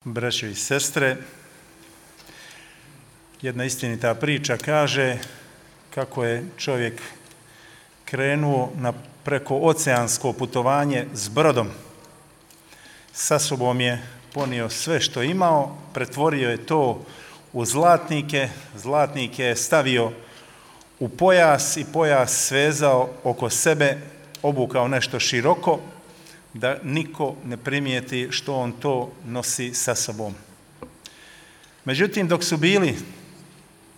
Braćo i sestre, jedna istinita priča kaže kako je čovjek krenuo na prekooceansko putovanje s brodom. Sa sobom je ponio sve što imao, pretvorio je to u zlatnike, zlatnike je stavio u pojas i pojas svezao oko sebe, obukao nešto široko, da niko ne primijeti što on to nosi sa sobom. Međutim, dok su bili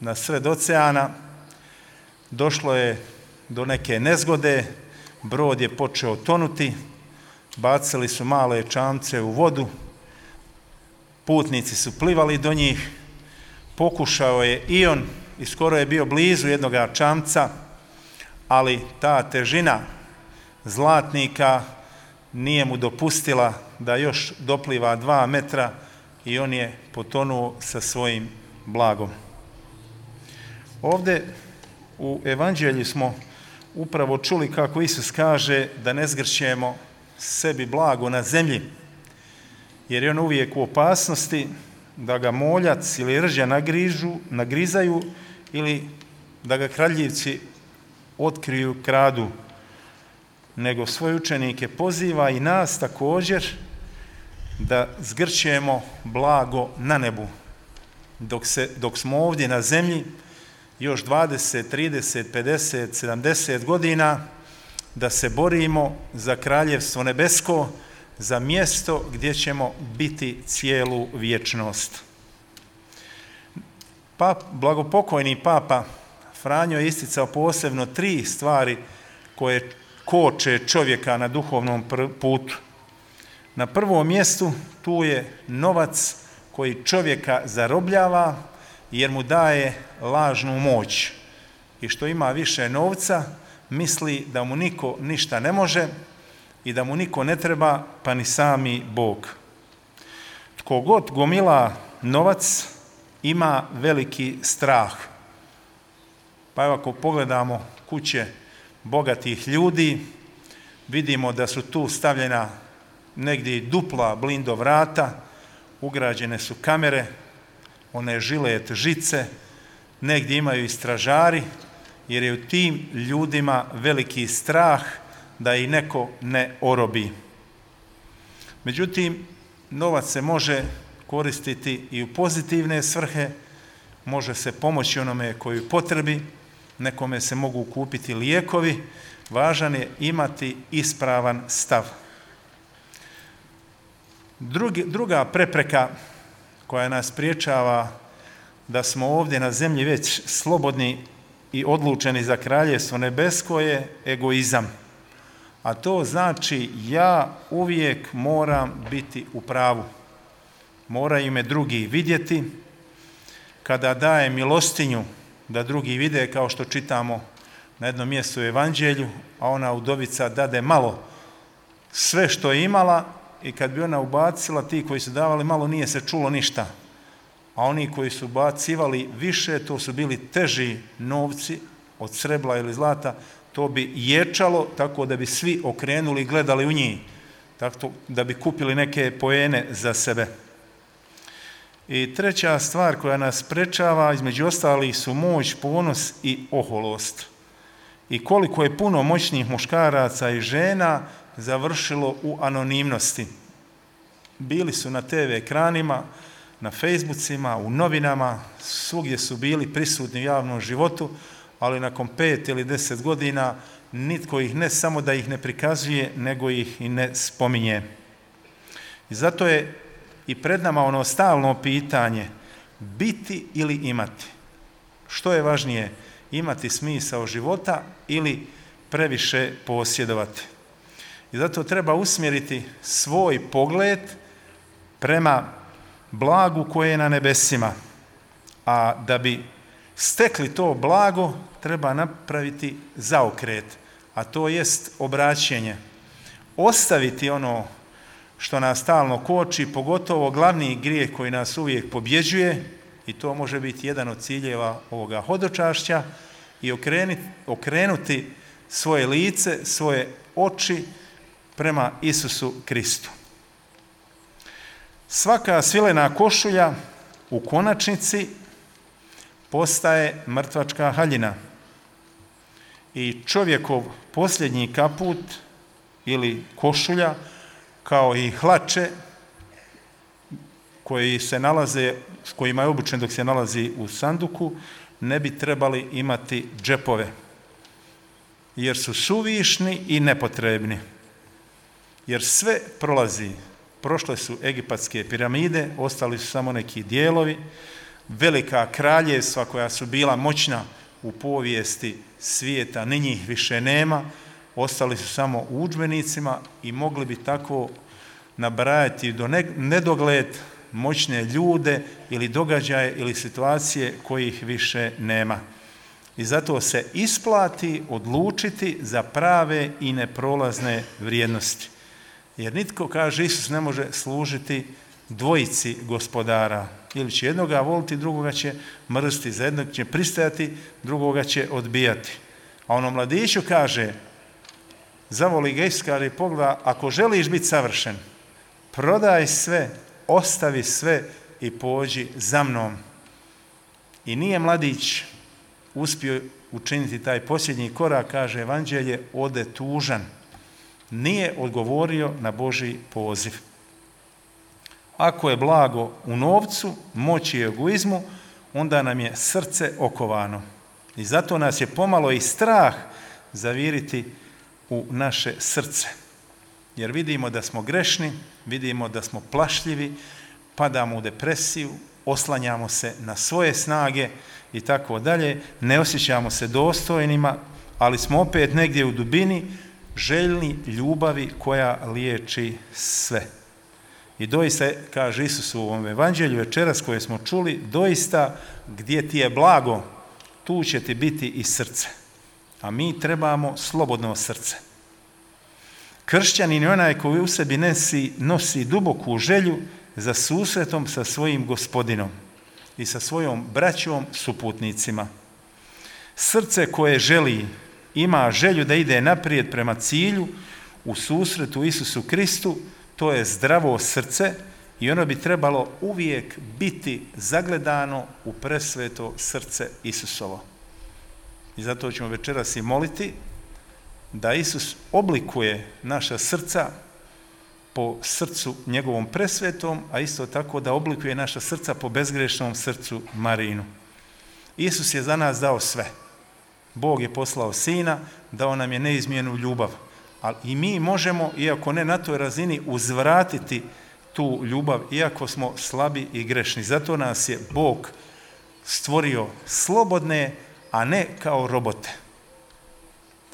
na sred oceana, došlo je do neke nezgode, brod je počeo tonuti, bacili su male čamce u vodu, putnici su plivali do njih, pokušao je i on i skoro je bio blizu jednoga čamca, ali ta težina zlatnika nije mu dopustila da još dopliva 2 metra i on je potonuo sa svojim blagom. Ovdje u Evanđelju smo upravo čuli kako Isus kaže da ne zgrćemo sebi blago na zemlji, jer je on uvijek u opasnosti da ga moljac ili rđa nagrizaju ili da ga kradljivci otkriju, kradu, nego svoje učenike poziva i nas također da zgrćemo blago na nebu. Dok smo ovdje na zemlji, još 20, 30, 50, 70 godina, da se borimo za kraljevstvo nebesko, za mjesto gdje ćemo biti cijelu vječnost. Blagopokojni Papa Franjo je isticao posebno 3 stvari koje koče čovjeka na duhovnom putu. Na prvom mjestu tu je novac koji čovjeka zarobljava jer mu daje lažnu moć. I što ima više novca, misli da mu niko ništa ne može i da mu niko ne treba, pa ni sami Bog. Tko god gomila novac, ima veliki strah. Pa evo ako pogledamo kuće bogatih ljudi, vidimo da su tu stavljena negdje dupla blindo vrata, ugrađene su kamere, one žilet žice, negdje imaju i stražari, jer je u tim ljudima veliki strah da ih neko ne orobi. Međutim, novac se može koristiti i u pozitivne svrhe, može se pomoći onome koji potrebi, nekome se mogu kupiti lijekovi, važan je imati ispravan stav. Druga prepreka koja nas spriječava da smo ovdje na zemlji već slobodni i odlučeni za kraljevstvo nebesko je egoizam. A to znači ja uvijek moram biti u pravu. Moraju me drugi vidjeti. Kada daje milostinju, da drugi vide, kao što čitamo na jednom mjestu u Evanđelju, a ona udovica dade malo sve što je imala i kad bi ona ubacila, ti koji su davali malo nije se čulo ništa. A oni koji su ubacivali više, to su bili teži novci od srebla ili zlata, to bi ječalo tako da bi svi okrenuli i gledali u njih, tako da bi kupili neke poene za sebe. I treća stvar koja nas sprečava, između ostalih, su moć, ponos i oholost. I koliko je puno moćnih muškaraca i žena završilo u anonimnosti. Bili su na TV ekranima, na Facebookima, u novinama, svugdje su bili prisutni u javnom životu, ali nakon 5 ili 10 godina nitko ih ne samo da ih ne prikazuje, nego ih i ne spominje. I zato je i pred nama ono stalno pitanje, biti ili imati. Što je važnije, imati smisao života ili previše posjedovati? I zato treba usmjeriti svoj pogled prema blagu koje je na nebesima. A da bi stekli to blago, treba napraviti zaokret, a to jest obraćenje. Ostaviti ono što nas stalno koči, pogotovo glavni grijeh koji nas uvijek pobjeđuje, i to može biti jedan od ciljeva ovoga hodočašća, i okrenuti svoje lice, svoje oči prema Isusu Kristu. Svaka svilena košulja u konačnici postaje mrtvačka haljina. I čovjekov posljednji kaput ili košulja, kao i hlače koji se nalaze, s kojima je obučen dok se nalazi u sanduku, ne bi trebali imati džepove, jer su suvišni i nepotrebni. Jer sve prolazi. Prošle su egipatske piramide, ostali su samo neki dijelovi, velika kraljevstva koja su bila moćna u povijesti svijeta, ni njih više nema, ostali su samo u udžbenicima i mogli bi tako nabrajati do nedogled moćne ljude ili događaje ili situacije kojih više nema. I zato se isplati odlučiti za prave i neprolazne vrijednosti. Jer nitko, kaže Isus, ne može služiti dvojici gospodara. Ili će jednoga voliti, drugoga će mrziti, za jednog će pristajati, drugoga će odbijati. A onom mladiću kaže, zavoli ga Isus, kaže, pogleda, ako želiš biti savršen, prodaj sve, ostavi sve i pođi za mnom. I nije mladić uspio učiniti taj posljednji korak, kaže Evanđelje, ode tužan. Nije odgovorio na Božji poziv. Ako je blago u novcu, moći i egoizmu, onda nam je srce okovano. I zato nas je pomalo i strah zaviriti u naše srce. Jer vidimo da smo grešni, vidimo da smo plašljivi, padamo u depresiju, oslanjamo se na svoje snage i tako dalje, ne osjećamo se dostojnima, ali smo opet negdje u dubini željni ljubavi koja liječi sve. I doista, kaže Isus u ovom evanđelju večeras koje smo čuli, doista gdje ti je blago, tu će ti biti i srce. A mi trebamo slobodno srce. Kršćanin je onaj koji u sebi nosi duboku želju za susretom sa svojim Gospodinom i sa svojom braćom suputnicima. Srce koje želi, ima želju da ide naprijed prema cilju u susretu Isusu Kristu, to je zdravo srce i ono bi trebalo uvijek biti zagledano u presveto srce Isusovo. I zato ćemo večeras i moliti da Isus oblikuje naša srca po srcu njegovom presvetom, a isto tako da oblikuje naša srca po bezgrešnom srcu Marinu. Isus je za nas dao sve. Bog je poslao Sina, dao nam je neizmjernu ljubav. Ali i mi možemo, iako ne na toj razini, uzvratiti tu ljubav, iako smo slabi i grešni. Zato nas je Bog stvorio slobodne, a ne kao robote.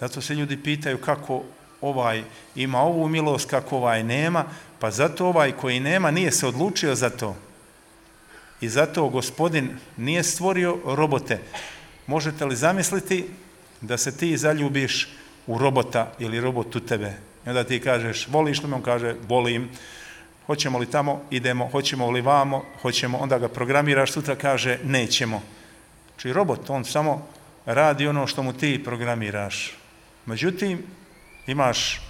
Zato se ljudi pitaju kako ovaj ima ovu milost, kako ovaj nema, pa zato ovaj koji nema nije se odlučio za to. I zato Gospodin nije stvorio robote. Možete li zamisliti da se ti zaljubiš u robota ili robot u tebe? I onda ti kažeš, voliš li me? On kaže, volim. Hoćemo li tamo? Idemo. Hoćemo li vamo? Hoćemo. Onda ga programiraš, sutra kaže, nećemo. Znači robot, on samo radi ono što mu ti programiraš. Međutim, imaš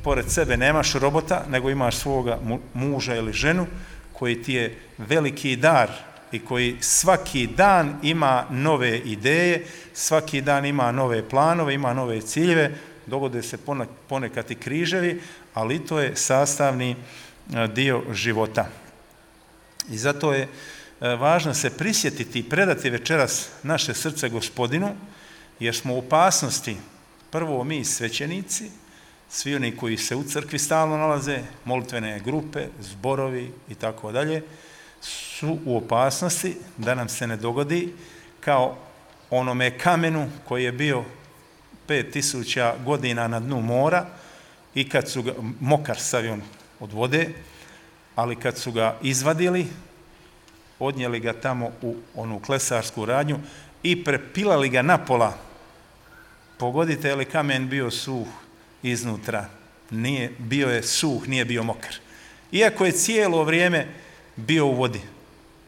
pored sebe, nemaš robota, nego imaš svoga muža ili ženu koji ti je veliki dar i koji svaki dan ima nove ideje, svaki dan ima nove planove, ima nove ciljeve, dogode se ponekad i križevi, ali to je sastavni dio života. I zato je važno se prisjetiti i predati večeras naše srce Gospodinu, jer smo u opasnosti, prvo mi svećenici, svi oni koji se u crkvi stalno nalaze, molitvene grupe, zborovi i tako dalje, su u opasnosti da nam se ne dogodi kao onome kamenu koji je bio 5000 godina na dnu mora i kad su ga, mokar sav od vode, ali kad su ga izvadili, odnijeli ga tamo u onu klesarsku radnju i prepilali ga napola. Pogodite, je li kamen bio suh iznutra? Nije, bio je suh, nije bio mokar. Iako je cijelo vrijeme bio u vodi.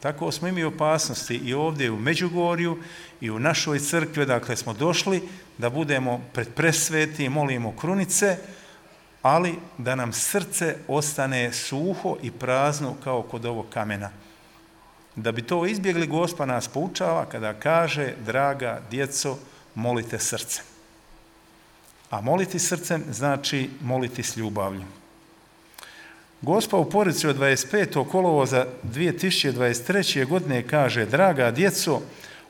Tako smo imali opasnosti i ovdje u Međugorju i u našoj crkvi, dakle smo došli da budemo pred presveti, molimo krunice, ali da nam srce ostane suho i prazno kao kod ovog kamena. Da bi to izbjegli, Gospod nas poučava kada kaže: draga djeco, molite srcem. A moliti srcem znači moliti s ljubavlju. Gospod u poruci od 25. kolovoza 2023. godine kaže: draga djeco,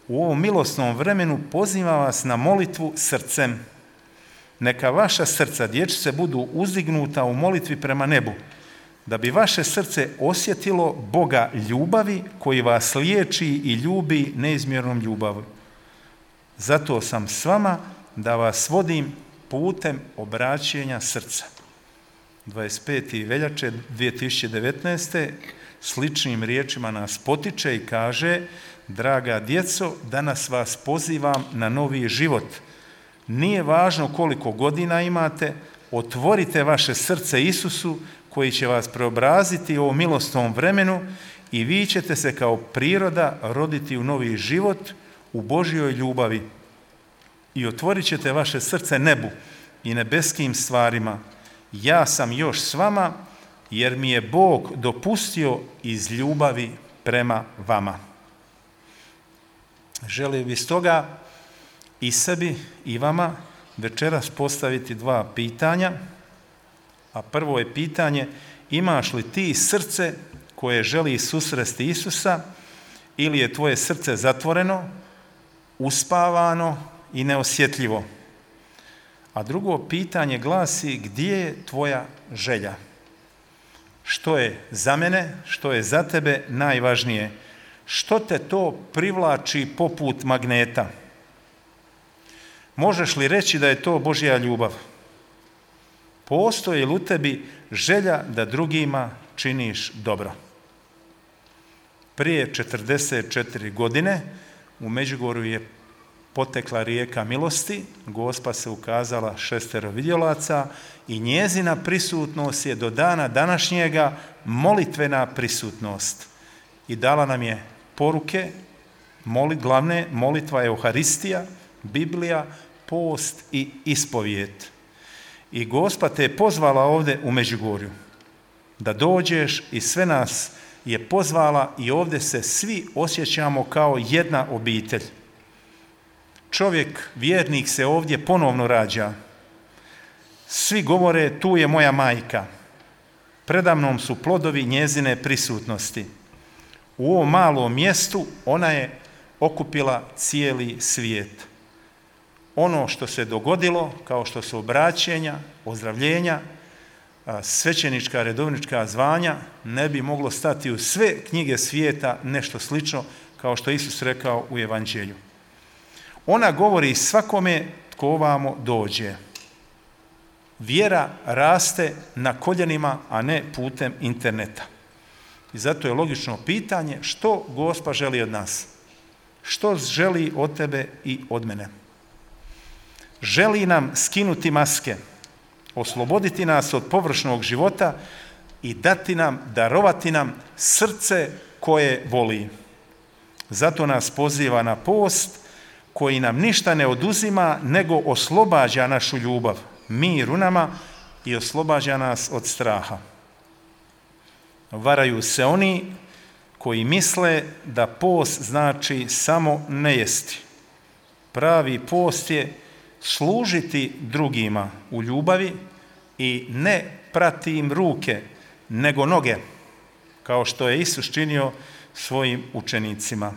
u ovom milosnom vremenu pozivam vas na molitvu srcem. Neka vaša srca, dječice, budu uzdignuta u molitvi prema nebu, da bi vaše srce osjetilo Boga ljubavi koji vas liječi i ljubi neizmjernom ljubavi. Zato sam s vama da vas vodim putem obraćenja srca. 25. veljače 2019. sličnim riječima nas potiče i kaže: draga djeco, danas vas pozivam na novi život. Nije važno koliko godina imate, otvorite vaše srce Isusu koji će vas preobraziti u ovom milosnom vremenu i vi ćete se kao priroda roditi u novi život u Božjoj ljubavi. I otvorit ćete vaše srce nebu i nebeskim stvarima. Ja sam još s vama jer mi je Bog dopustio iz ljubavi prema vama. Želim bi stoga i sebi i vama večeras postaviti dva pitanja. A prvo je pitanje: imaš li ti srce koje želi susresti Isusa ili je tvoje srce zatvoreno, uspavano i neosjetljivo? A drugo pitanje glasi: gdje je tvoja želja? Što je za mene, što je za tebe najvažnije? Što te to privlači poput magneta? Možeš li reći da je to Božja ljubav? Postoji li u tebi želja da drugima činiš dobro? Prije 44 godine u Međugorju je potekla rijeka milosti, Gospa se ukazala 6 vidjelaca i njezina prisutnost je do dana današnjega molitvena prisutnost. I dala nam je poruke, glavne: molitva, Euharistija, Biblija, post i ispovijed. I Gospa te je pozvala ovdje u Međugorju da dođeš i sve nas je pozvala i ovdje se svi osjećamo kao jedna obitelj. Čovjek, vjernik, se ovdje ponovno rađa. Svi govore: tu je moja majka. Predamnom su plodovi njezine prisutnosti. U ovom malom mjestu ona je okupila cijeli svijet. Ono što se dogodilo, kao što su obraćenja, ozdravljenja, svećenička, redovnička zvanja, ne bi moglo stati u sve knjige svijeta nešto slično kao što Isus rekao u Evanđelju. Ona govori svakome tko ovamo dođe. Vjera raste na koljenima, a ne putem interneta. I zato je logično pitanje: što Gospa želi od nas? Što želi od tebe i od mene? Želi nam skinuti maske, osloboditi nas od površnog života i darovati nam srce koje voli. Zato nas poziva na post koji nam ništa ne oduzima, nego oslobađa našu ljubav, mir u nama i oslobađa nas od straha. Varaju se oni koji misle da post znači samo ne jesti. Pravi post je služiti drugima u ljubavi i ne prati im ruke, nego noge, kao što je Isus činio svojim učenicima.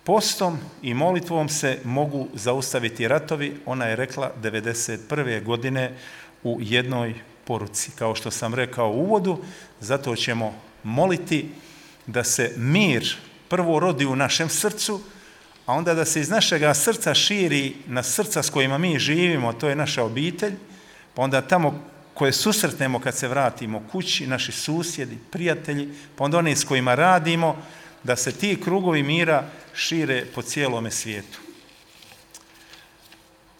Postom i molitvom se mogu zaustaviti ratovi, ona je rekla 1991. godine u jednoj poruci. Kao što sam rekao u uvodu, zato ćemo moliti da se mir prvo rodi u našem srcu, a onda da se iz našega srca širi na srca s kojima mi živimo, to je naša obitelj, pa onda tamo koje susretnemo kad se vratimo kući, naši susjedi, prijatelji, pa onda oni s kojima radimo, da se ti krugovi mira šire po cijelome svijetu.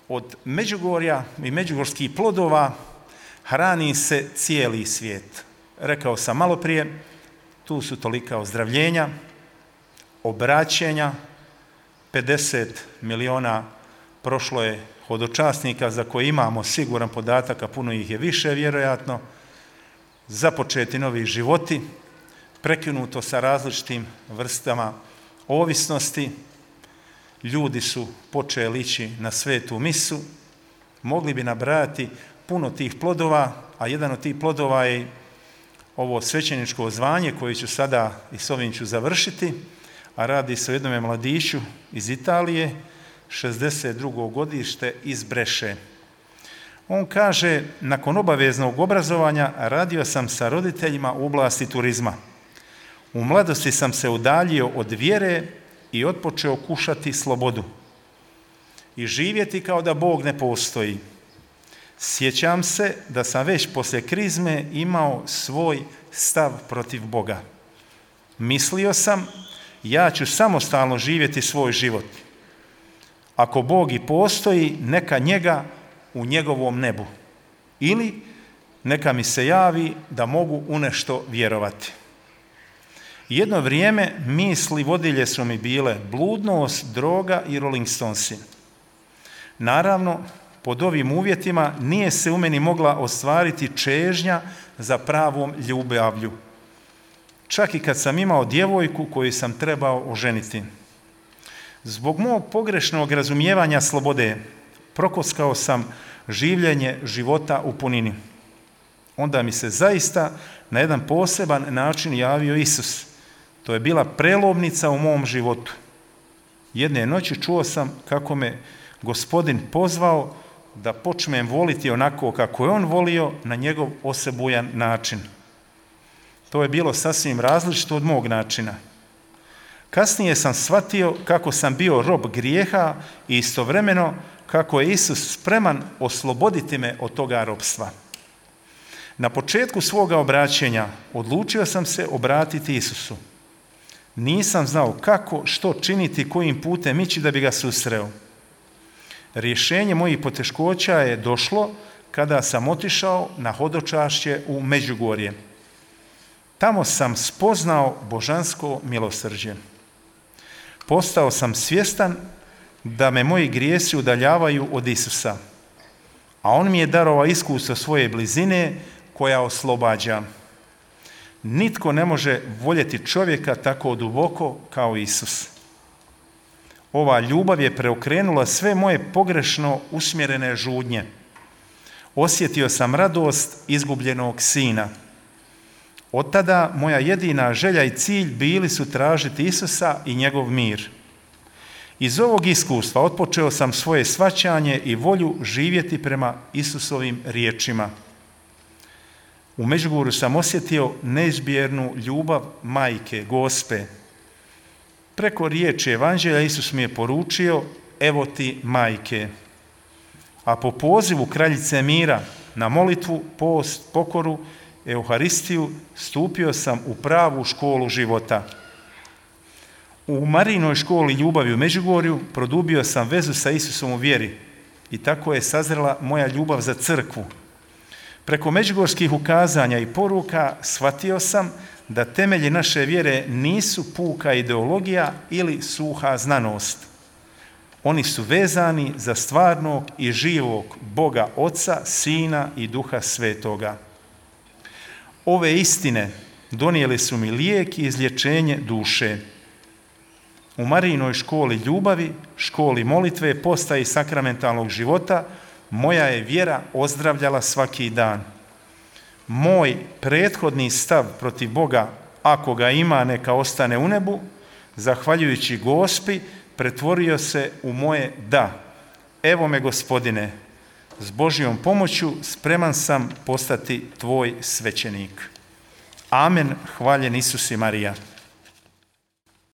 Od Međugorja i međugorskih plodova hrani se cijeli svijet. Rekao sam malo prije, tu su tolika ozdravljenja, obraćenja, 50 miliona prošlo je hodočasnika za koje imamo siguran podatak, a puno ih je više vjerojatno, započeti novi životi, prekinuto sa različitim vrstama ovisnosti, ljudi su počeli ići na svetu misu, mogli bi nabrajati puno tih plodova, a jedan od tih plodova je ovo svećeničko zvanje koje ću sada i s ovim ću završiti, a radi se o jednome mladiću iz Italije, 62. godište iz Breše. On kaže, nakon obaveznog obrazovanja radio sam sa roditeljima u oblasti turizma. U mladosti sam se udaljio od vjere i otpočeo kušati slobodu i živjeti kao da Bog ne postoji. Sjećam se da sam već poslije krizme imao svoj stav protiv Boga. Mislio sam, ja ću samostalno živjeti svoj život. Ako Bog i postoji, neka njega u njegovom nebu. Ili neka mi se javi da mogu u nešto vjerovati. Jedno vrijeme misli vodilje su mi bile bludnost, droga i Rolling Stonesi. Naravno, pod ovim uvjetima nije se u meni mogla ostvariti čežnja za pravom ljubavlju. Čak i kad sam imao djevojku koju sam trebao oženiti. Zbog mog pogrešnog razumijevanja slobode prokockao sam življenje života u punini. Onda mi se zaista na jedan poseban način javio Isus. To je bila prelomnica u mom životu. Jedne noći čuo sam kako me Gospodin pozvao da počnem voliti onako kako je on volio, na njegov osebujan način. To je bilo sasvim različito od mog načina. Kasnije sam shvatio kako sam bio rob grijeha i istovremeno kako je Isus spreman osloboditi me od toga robstva. Na početku svoga obraćenja odlučio sam se obratiti Isusu. Nisam znao kako, što činiti, kojim putem ići da bi ga susreo. Rješenje mojih poteškoća je došlo kada sam otišao na hodočašće u Međugorje. Tamo sam spoznao božansko milosrđe. Postao sam svjestan da me moji grijesi udaljavaju od Isusa, a on mi je darovao iskustvo svoje blizine koja oslobađa. Nitko ne može voljeti čovjeka tako duboko kao Isus. Ova ljubav je preokrenula sve moje pogrešno usmjerene žudnje. Osjetio sam radost izgubljenog sina. Od tada moja jedina želja i cilj bili su tražiti Isusa i njegov mir. Iz ovog iskustva otpočeo sam svoje shvaćanje i volju živjeti prema Isusovim riječima. U Međugorju sam osjetio neizmjernu ljubav majke, Gospe. Preko riječi Evanđelja Isus mi je poručio, evo ti majke. A po pozivu kraljice mira na molitvu, post, pokoru, Euharistiju stupio sam u pravu školu života. U Marijinoj školi ljubavi u Međugorju produbio sam vezu sa Isusom u vjeri i tako je sazrela moja ljubav za crkvu. Preko međugorskih ukazanja i poruka shvatio sam da temelji naše vjere nisu puka ideologija ili suha znanost. Oni su vezani za stvarnog i živog Boga Oca, Sina i Duha Svetoga. Ove istine donijeli su mi lijek i izlječenje duše. U Marijinoj školi ljubavi, školi molitve, postaji sakramentalnog života, moja je vjera ozdravljala svaki dan. Moj prethodni stav protiv Boga, ako ga ima, neka ostane u nebu, zahvaljujući Gospi, pretvorio se u moje da. Evo me, Gospodine, s Božjom pomoću spreman sam postati tvoj svećenik. Amen, hvaljen Isus i Marija.